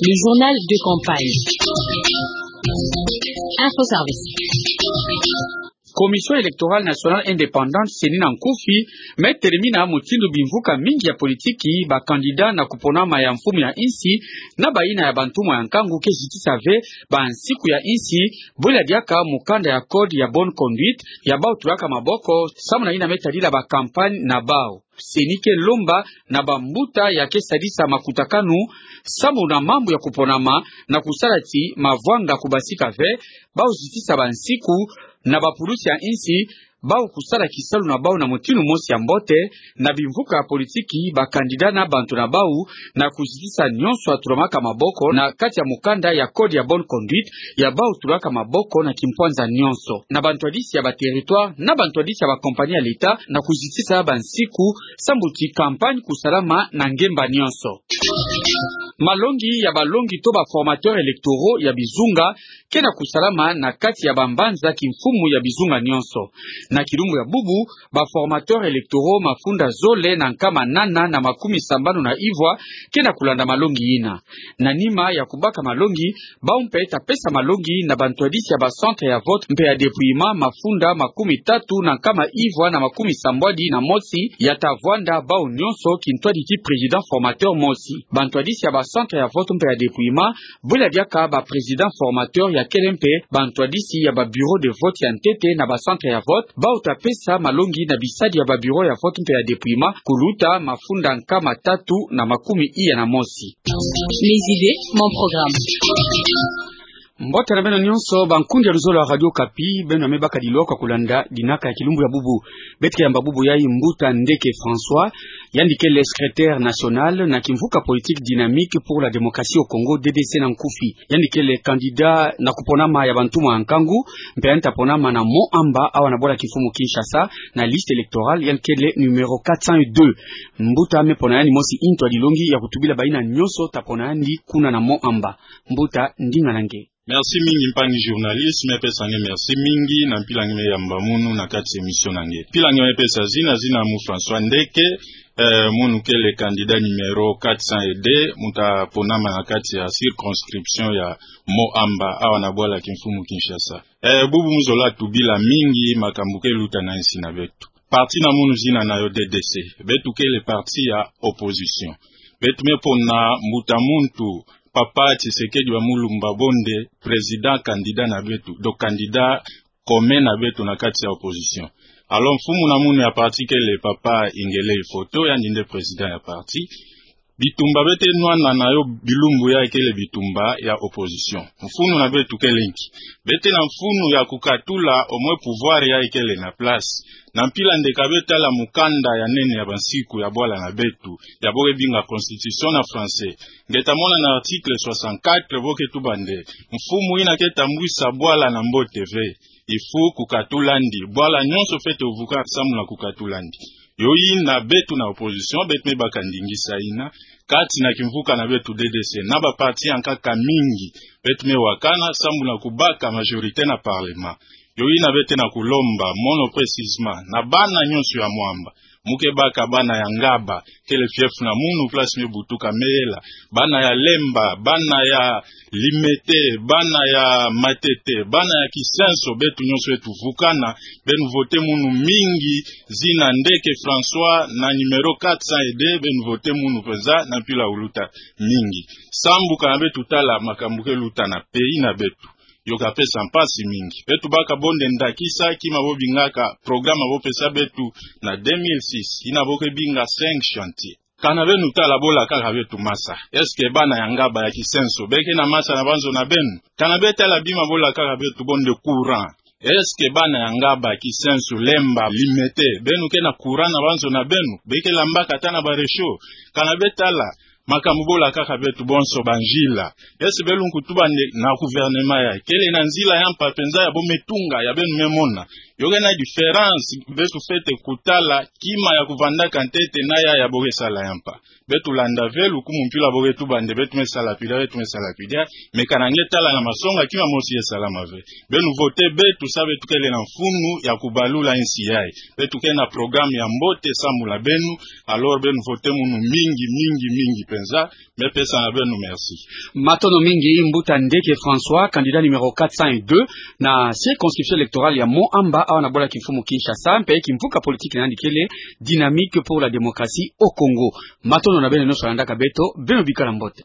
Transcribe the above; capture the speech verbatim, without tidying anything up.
Le journal de campagne. Info Service. Commission électorale nationale indépendante, CENI na nkufi, me telemina mutindu bimvuka mingi ya politiki, ba candidat na kuponama ya mfumu ya insi, na bayina ya bantumwa ya nkangu ke zitisa ve bansiku ya insi, bwela diaka mukanda ya code ya bonne conduite ya bau tulaka maboko, samu na yina me tadila ba campagne na bau. CENI ke lomba na bambuta ya ke sadisa makutakanu samu na mambu ya kuponama na kusala ti mavwanga kubasika ve, bau zitisa bansiku na bapulusi ya insi bau kusala kisalu na bau na mutindu mosi ya mbote, na bimvuka ya politiki, ba candidat na bantu na bau, na kuzitisa nyonso ya tulamaka maboko na kati ya mukanda ya code ya bonne conduite ya bau tulaka maboko na kimpwanza nyonso, na bantwadisi ya ba territoire, na bantwadisi ya ba compagnie ya l'État, na kuzitisa bansiku sambu ti campagne kusalama na ngemba nyonso. Malongi ya balongi to ba formateurs électoraux ya bizunga ke na kusalama na kati ya bambanza kimfumu ya bizunga nyonso. Na kilumbu ya bubu, ba formateurs électoraux mafunda zole na nkama nana na makumi sambanu na ivwa ke na kulanda malongi yina. Na nima ya kubaka malongi, bau mpe ta pesa malongi na bantwadisi ya ba centre ya vote mpe ya dépouillement mafunda makumi tatu na nkama ivwa na makumi sambwadi na mosi ya ta vwanda bau nyonso kintwadi ti président formateur mosi. Bantwadisi ya ba centre ya vote mpe ya dépouillement, bwela diaka ba président formateur ya kele mpe bantwadisi ya ba bureau de vote ya ntete na ba centre ya vote, bau ta pesa malongi na bisadi ya ba bureau ya vote mpe ya dépouillement kuluta mafunda nkama tatu na makumi iya na mosi. Mes idées, mon programme. Mbote na beno nyonso, bankundi ya luzolo ya Radio Okapi, beno ya me baka dilwa kwa kulanda dinaka ya kilumbu ya bubu. Beto ke yamba bubu yayi Mbuta Ndeke François, yandi kele secrétaire national na kimvuka politique Dynamique pour la démocratie au Congo, D D C na nkufi. Yandi kele candidat na kuponama ya bantumwa ya nkangu, mpe yandi ta ponama na Mont Amba, awa na bwala kimfumu Kinshasa, na liste électorale, yandi kele numéro quatre cent deux. Mbuta, me pona yandi mosi ntwadi longi ya kutubila bayina nyonso ta pona yandi kuna na Mont Amba. Mbuta, ndinga na nge. Merci mingi, mpangi journaliste, me pesa nge merci mingi na mpila nge me yamba munu na kati émission na nge. Mpila nge me pesa zina, zina mu François Ndeke, eh, munu kele candidat numéro quatre cent deux, mu ta ponama na kati ya circonscription ya Mont Amba, awa na bwala kimfumu Kinshasa. Eh, bubu mu zola tubila mingi makambu ke luta na insi na beto. Parti na munu zina na yo D D C. Beto kele parti ya opposition. Beto me pona mbuta muntu, Papa Tshisekedi wa Mulumba Bonde, président candidat na beto, donc candidat commun na beto na kati ya opposition. Alors, mfumu na munu ya parti kele Papa Ingele Ifoto, yandi nde président ya parti. Bitumba beto nwana na yo bilumbu yayi kele bitumba ya opposition. Mfunu na beto kele nki? Beto na mfunu ya kukatula au moins pouvoir yayi kele na place. Na mpila nde ka beto tala mukanda ya nene ya bansiku ya bwala na beto, ya bo ke binga constitution na français, nge ta mona na article soixante-quatre bo ke tuba nde mfumu yina ke tambwisa bwala na mbote ve. Il faut kukatula ndi. Bwala nyonso fwete vuka samu na kukatula ndi. Yo yina beto na opposition, beto me baka ndingisa yina, kati na kimvuka na beto D D C, na ba parti ya nkaka mingi, beto me wakana samu na kubaka majorité na parlement. Yo yina beto na kulomba, mono précisément, na bana nyonso ya Mont Amba, mu ke baka bana ya Ngaba, kele fief na munu, place me butuka, me yela, bana ya Lemba, bana ya Limete, bana ya Matete, bana ya Kisenso, beto nyonso fwete vukana, beno voter munu mingi, zina Ndeke François na numéro quatre cent deux, beno voter munu mpenza na mpila kuluta mingi. Sambu kana beto tala makambu ke luta na pays na beto, yo ka pesa mpasi mingi. Beto baka bo nde ndakisa, kima bo bingaka programme bo pesa beto na deux mille six, yina bo ke binga cinq chantiers. Kana beno tala bo lakaka beto masa. Est-ce que bana ya Ngaba, ya Kisenso, be ke na masa na banzo na beno? Kana beto tala bima bo lakaka beto bo nde courant, est-ce que bana ya Ngaba, Kisenso, Lemba, Limete, beno ke na courant na banzo na beno? Be ke lambaka ata na ba réchaud? Kana beto tala makambu bo lakaka beto bonso, banzila. Est-ce que beno kutuba nde na gouvernement yayi kele na nzila ya mpa mpenza ya bo me tunga, ya beno me mona? Yo ke na différence, beto fwete kutala kima ya kuvandaka ntete na ya ya bo ke sala ya mpa. Beto landa ve lukumu mpila bo ke tuba nde beto me sala pila, beto me sala pila, mais kana nge tala na masonga, kima mosi ye salama ve. Beno voter beto, sa beto kele na mfunu ya kubalula insi yayi. Beto ke na programme ya mbote samu na beno, alors beno voter munu mingi, mingi, mingi mpenza. Nza, me pesa na beno merci. Matondo mingi, Mbuta Ndeke François, candidat numéro quatre cent deux na circonscription électorale ya Mont-Amba, awa na bwala kimfumu Kinshasa, mpe kimvuka politique na yandi kele Dynamique pour la démocratie au Congo. Matondo na beno nyonso landaka beto, beno bikala mbote.